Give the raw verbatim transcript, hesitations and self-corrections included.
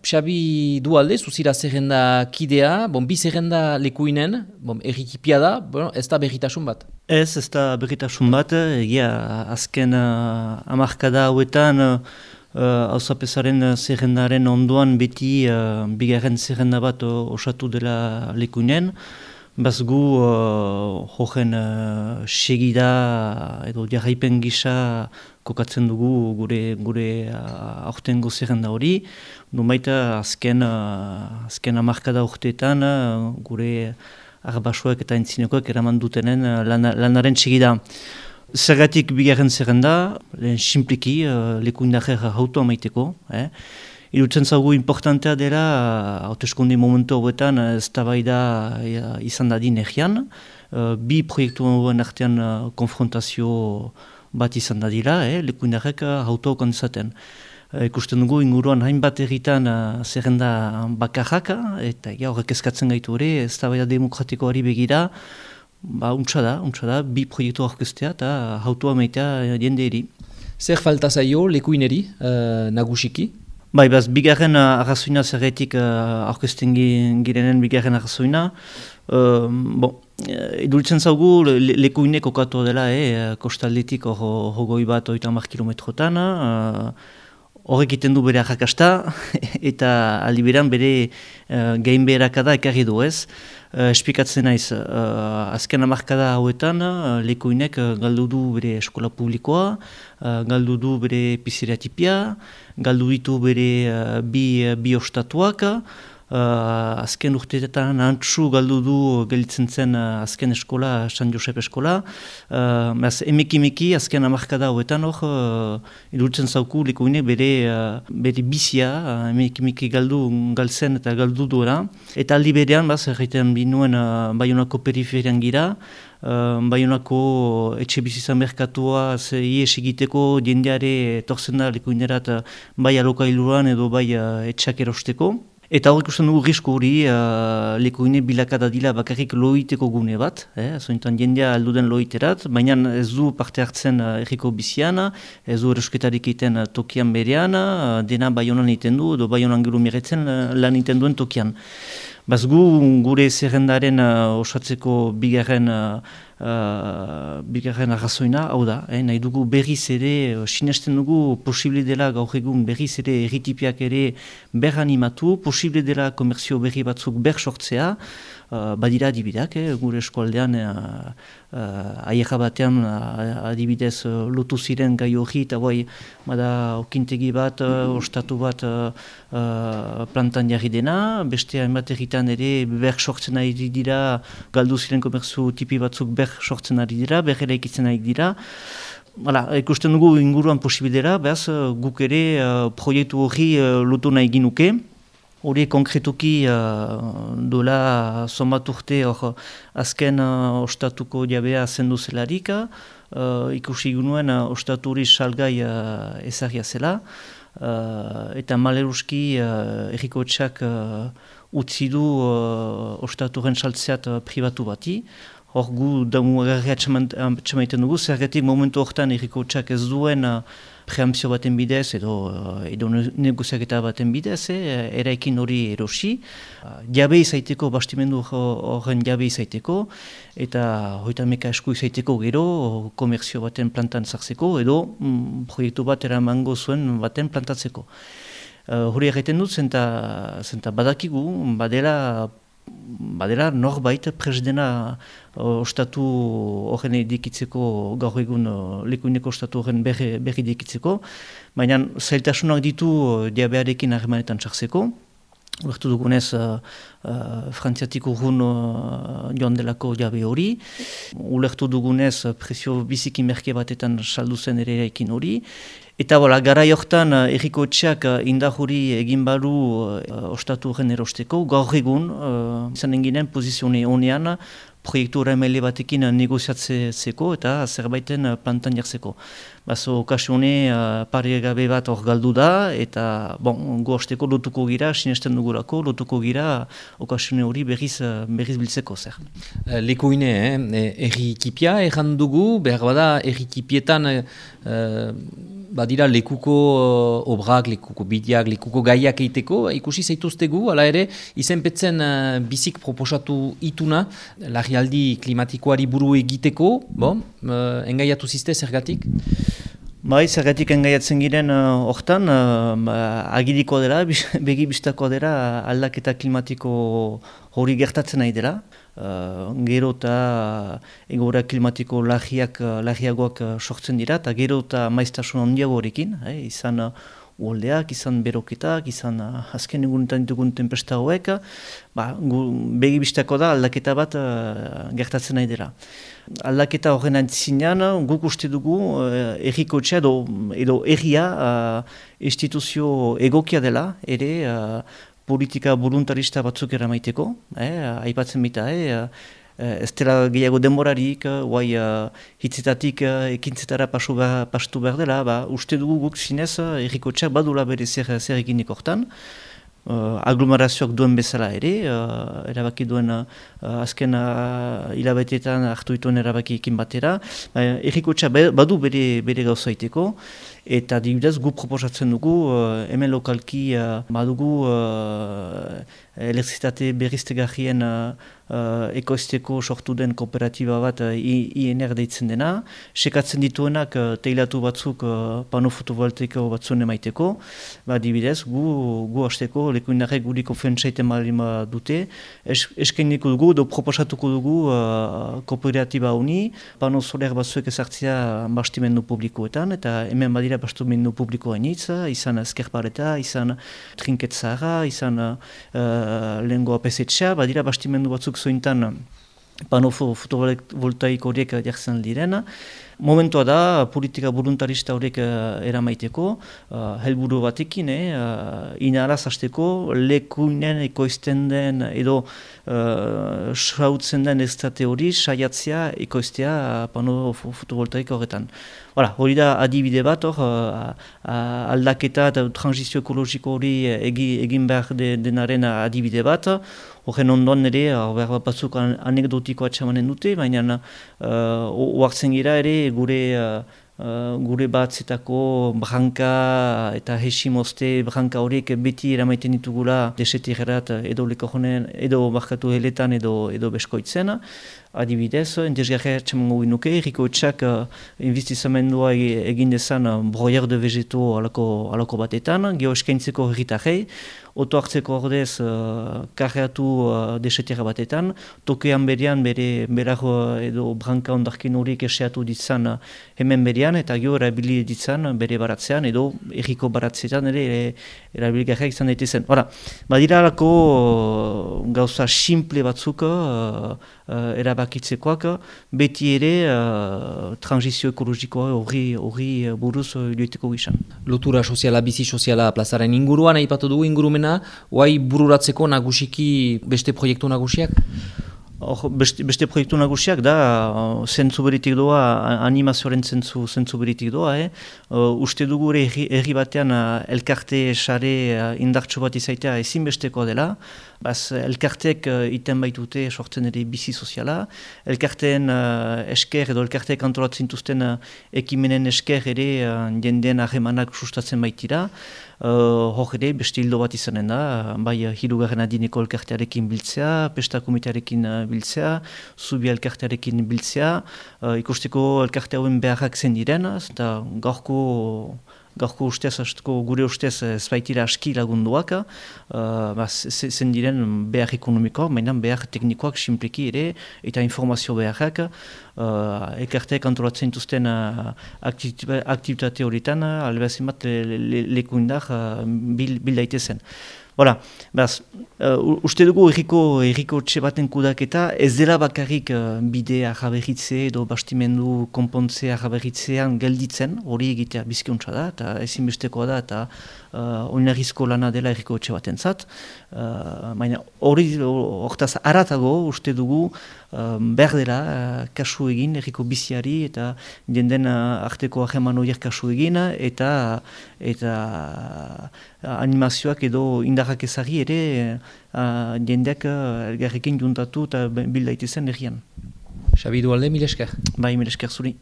Xabi Dualde, zuzira zerrenda kidea, bon, bi zerrenda lekuinen, bon, errikipia da, bueno, ez da berritasun bat. Ez, ez da berritasun bat, egia azken uh, amarkada hauetan hauzapezaren uh, zerrendaren ondoan beti uh, bigarren zerrenda bat uh, osatu dela lekuinen. Bazgu uh, jojen uh, segida edo jarraipen gisa kokatzen dugu gure gure uh, aurtengo zerrenda hori. Numaita azken, uh, azken amarkada urteetan uh, gure arbasoek eta entzinekoek eraman dutenen uh, lan, lanaren segida. Zergatik bigarren zerrenda, lehen simpliki uh, lekuindajer hautu amaiteko. Eh? Irutzen zaugu importantea dela, hauteskunde momentu hauetan ez da bai da izan dadin egian. Uh, bi proiektu hauen artean uh, konfrontazio bat izan dadila, eh? lekuindarek hautu haukan izaten. Uh, ikusten dugu inguruan hainbat erritan uh, zerrenda bakarrak, eta ja, horrek eskatzen gaitu hori, ez da bai da demokratikoari begira, ba, untsa da, untsa da, bi proiektu aurkeztea eta hautua maitea jende eri. Zer falta zaio lekuineri, uh, nagusiki? Bai, baz, bigarren uh, arrazoina zerretik uh, aurkezten girenen bigarren arrazoina. Uh, bon, iduritzen zaugu le, lekuinek okatu dela, eh, kostaldetik hogoi bat oita hamar kilometrotan. Horrek uh, iten du bere arrakasta eta aldi beran bere uh, gain beherakada ekarri du ez. Uh, espikatzen naiz, uh, azken hamarkada hauetan uh, lekuinek uh, galdu du bere eskola publikoa, uh, galdu du bere pizeriatipia, galdu ditu bere uh, bi, uh, bi ostatuak, uh, azken urteetan antzu galdu du gelditzen zen uh, azken eskola, San Josep eskola. Uh, emeki-meki azken hamarkada hauetan hor, uh, idurtzen zauku lekuinek bere, uh, bere bizia, uh, emeki-meki galdu galtzen eta galdu duela. Eta aldi berean, baz, erraiten binuen uh, Baionako periferian gira, uh, Baionako etxe bizizan merkatua ies egiteko jendeare torzen da lekuinerat uh, bai alokailuan edo bai uh, etxak erosteko. Eta hor ikusten dugu risku hori, uh, lekuine bilakada dila bakarrik loiteko gune bat, eh? Zointan jendea alduden loiterat, baina ez du parte hartzen uh, erriko bizian, ez du erosketarik egiten uh, tokian berean, uh, dena Baionan egiten du, edo Baionan gero miretzen uh, lan egiten duen tokian. Bazgu gure zerrendaren uh, osatzeko bigarren, uh, uh, bigarren arrazoina, hau da, eh, nahi dugu berriz ere, uh, sinesten dugu posible dela gaur egun berriz ere erritipiak ere ber animatu, posible dela komerzio berri batzuk ber sortzea, uh, badira adibideak, eh, gure eskualdean uh, uh, aierra batean uh, adibidez uh, lotu ziren gai hori, eta bai, bada okintegi bat, uh, ostatu bat uh, uh, plantan jarri dena, beste hainbat erritan ere ber sortzen ari dira, galdu ziren komerzu tipi batzuk ber sortzen ari dira, ber eraikitzen ari dira. Hala, ikusten dugu inguruan posibidera, behaz guk ere uh, proiektu hori uh, lotu nahi ginuke. Hori konkretuki uh, dola somat urte hor azken uh, ostatuko jabea zendu zelarik, uh, ikusi gunuen uh, ostatu hori salgai uh, ezagia zela, uh, eta maleruski uh, erriko etxak uh, utzi du uh, ostaturen saltzeat uh, pribatu bati. Hor gu damu agarria txamaiten dugu, zergatik momentu horretan erriko etxak ez duen uh, preampzio baten bidez edo, uh, edo negoziaketa baten bidez, eh, eraikin hori erosi. Uh, jabe izaiteko, bastimendu horren jabe izaiteko, eta hoita meka esku izaiteko gero, komerzio baten plantan zartzeko, edo mm, proiektu bat eramango zuen baten plantatzeko. Uh, hori erraiten dut, zenta, zenta badakigu, badela badela norbait presdena uh, ostatu horren edikitzeko, gaur egun uh, lekuineko ostatu horren berri, berri edikitzeko, baina zailtasunak ditu uh, diabearekin harremanetan txartzeko. Ulertu dugunez, uh, uh, frantziatik urrun uh, joan delako jabe hori. Ulertu dugunez, uh, presio biziki merke batetan saldu zen ere eraikin hori. Eta bola, garai hortan uh, erriko etxeak uh, indar hori egin balu uh, ostatu horren erosteko. Gaur egun, uh, izan enginen pozizione honean, proiektu horremele batekin negoziatzeko eta zerbaiten plantan jartzeko. Bazo, okasione uh, pare gabe bat hor galdu da, eta bon, goazteko lotuko gira, sinesten dugurako, lotuko gira okasione hori berriz, berriz biltzeko zer. Lekuine, eh? errikipia erran dugu, behar bada errikipietan uh, badira lekuko uh, obrak, lekuko bideak, lekuko gaiak eiteko, ikusi zaituztegu, ala ere, izenpetzen uh, bizik proposatu ituna, larrialdi klimatikoari buru egiteko, bon, uh, engaiatu ziste zergatik? Bai, zergatik engaiatzen giren hortan, uh, uh, agiriko dela, begi bistako dela aldaketa klimatiko hori gertatzen nahi dela. Uh, gero eta egoera klimatiko lagiak, lagiagoak sortzen dira, eta gero eta maiztasun handiago horrekin, eh, izan uh, uoldeak, izan beroketak, izan uh, azken egunetan ditugun tempesta hauek, ba, begi bistako da aldaketa bat uh, gertatzen nahi dela. Aldaketa horren antzinean, guk uste dugu uh, errikotxea edo, edo erria uh, instituzio egokia dela, ere uh, politika voluntarista batzuk eramaiteko, eh, aipatzen bita, eh, ez dela gehiago denborarik, guai uh, hitzetatik uh, ekintzetara pasu behar, pastu behar dela, ba, uste dugu guk zinez errikotxeak badula bere zer, zer eginik hortan, uh, aglomerazioak duen bezala ere, uh, erabaki duen uh, azken uh, hilabeteetan hartu dituen erabakiekin batera, uh, errikotxeak badu bere, bere gauza iteko, eta dibidez gu proposatzen dugu, uh, hemen lokalki uh, badugu uh, elektrizitate berriztegarrien uh, uh, ekoizteko sortu den kooperatiba bat uh, I N R deitzen dena, sekatzen dituenak uh, teilatu batzuk uh, pano fotovoltaiko batzuen emaiteko, ba, dibidez gu, gu hasteko lekuinarek guriko fentsaiten malima dute, es, eskeniko dugu, do proposatuko dugu uh, kooperatiba honi, pano soler batzuek ezartzea bastimendu publikoetan, eta hemen badira bastimendu publikoa initz, izan ezkerpareta, izan trinketzara, izan uh, lehengo apesetxea, badira bastimendu batzuk zointan pano fotovoltaik horiek jartzen diren. Momentua da, politika voluntarista horiek uh, eramaiteko, uh, helburu batekin, eh, uh, inaraz hasteko, lekuinen ekoizten den edo uh, sautzen den estate hori saiatzea ekoiztea uh, pano fotovoltaik horretan. Voilà, hori da adibide bat hor, uh, uh, aldaketa eta transizio ekologiko hori egi, egin behar de, denaren adibide bat. Horren ondoan ere, behar batzuk anekdotiko atxamanen dute, baina uh, oartzen gira ere gure uh, uh, gure batzetako branka eta hesimozte branka horiek beti eramaiten ditugula desetirrat edo lekojonen, edo barkatu heletan edo, edo beskoitzen. Adibidez, entesgarria txamango ginuke, errikoetxak uh, investizamendua egin dezan uh, broyer de vegeto alako, alako batetan, geho eskaintzeko herritarrei, oto hartzeko ordez uh, karreatu uh, desetera batetan, tokean berean bere berar uh, edo branka ondarkin horiek eseatu ditzan uh, hemen berean, eta geho erabili ditzan bere baratzean, edo erriko baratzetan ere erabiligarriak izan daitezen. Hora, badira alako uh, gauza simple batzuk uh, uh, erabakitzekoak, beti ere uh, transizio ekologikoa horri, horri buruz uh, joiteko gizan. Lotura soziala, bizi soziala plazaren inguruan, aipatu dugu ingurumena, oai bururatzeko nagusiki beste proiektu nagusiak? Or, beste, beste proiektu nagusiak da, uh, zentzu beritik doa, animazioaren zentzu, zentzu beritik doa, eh? uh, uste dugu erri, erri batean uh, elkarte sare uh, indartsu bat izaitea ezinbestekoa dela, baz elkarteek uh, iten baitute sortzen ere bizi soziala, elkarteen uh, esker edo elkarteek antolatzen dituzten uh, ekimenen esker ere uh, jendeen ahemanak sustatzen baitira, Uh, hor ere, beste hildo bat izanen da, bai hirugarren adineko elkartearekin biltzea, pesta komitearekin uh, biltzea, zubia elkartearekin biltzea, uh, ikusteko elkarte hauen beharrak zen diren, eta gaurko, gaurko ustez, gure ustez ez baitira aski lagunduak, uh, ba, zen diren behar ekonomikoak, mainan behar teknikoak simpleki ere, eta informazio beharrak, uh, elkarteak antolatzen dituzten uh, aktivitate horietan, uh, albeazin bat lekuindar uh, bil, bil daitezen. Voilà, beraz, uh, uste dugu erriko, erriko txe baten kudaketa ez dela bakarrik uh, bidea jaberritze edo bastimendu konpontzea jaberritzean gelditzen, hori egitea bizkiuntza da, eta ezinbestekoa da, eta uh, oinarrizko lana dela erriko txe baten zat. Uh, baina hori hortaz aratago uste dugu uh, behar dela uh, kasu egin erriko biziari eta jenden uh, arteko aheman horiek kasu egin eta, eta uh, animazioak edo indarrak ezari ere uh, jendeak uh, elgarrekin juntatu eta bildaitezen errian. Xabi Dualde, mil esker. Bai, mil esker zuri.